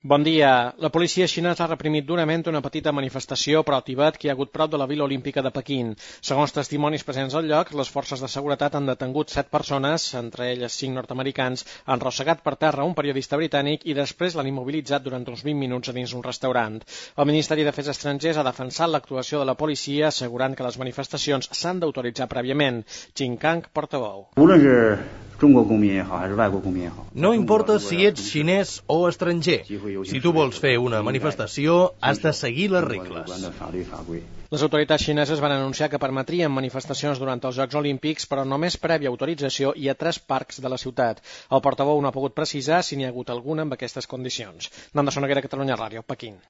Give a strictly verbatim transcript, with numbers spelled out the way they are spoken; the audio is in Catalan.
Bon dia. La policia xinesa ha reprimit durament una petita manifestació pro-Tibet que hi ha hagut prop de la Vila Olímpica de Pequín. Segons testimonis presents al lloc, les forces de seguretat han detengut set persones, entre elles cinc nord-americans, han arrossegat per terra un periodista britànic i després l'han immobilitzat durant uns vint minuts a dins un restaurant. El Ministeri d'Afers Estrangers ha defensat l'actuació de la policia, assegurant que les manifestacions s'han d'autoritzar prèviament. Qin Kang, portaveu. No importa si ets xinès o estranger. Si tu vols fer una manifestació, has de seguir les regles. Les autoritats xineses van anunciar que permetrien manifestacions durant els Jocs Olímpics, però només prèvia autorització i a tres parcs de la ciutat. El portaveu no ha pogut precisar si n'hi ha hagut alguna amb aquestes condicions. Nanda Soneguera, Catalunya Ràdio, Pequín.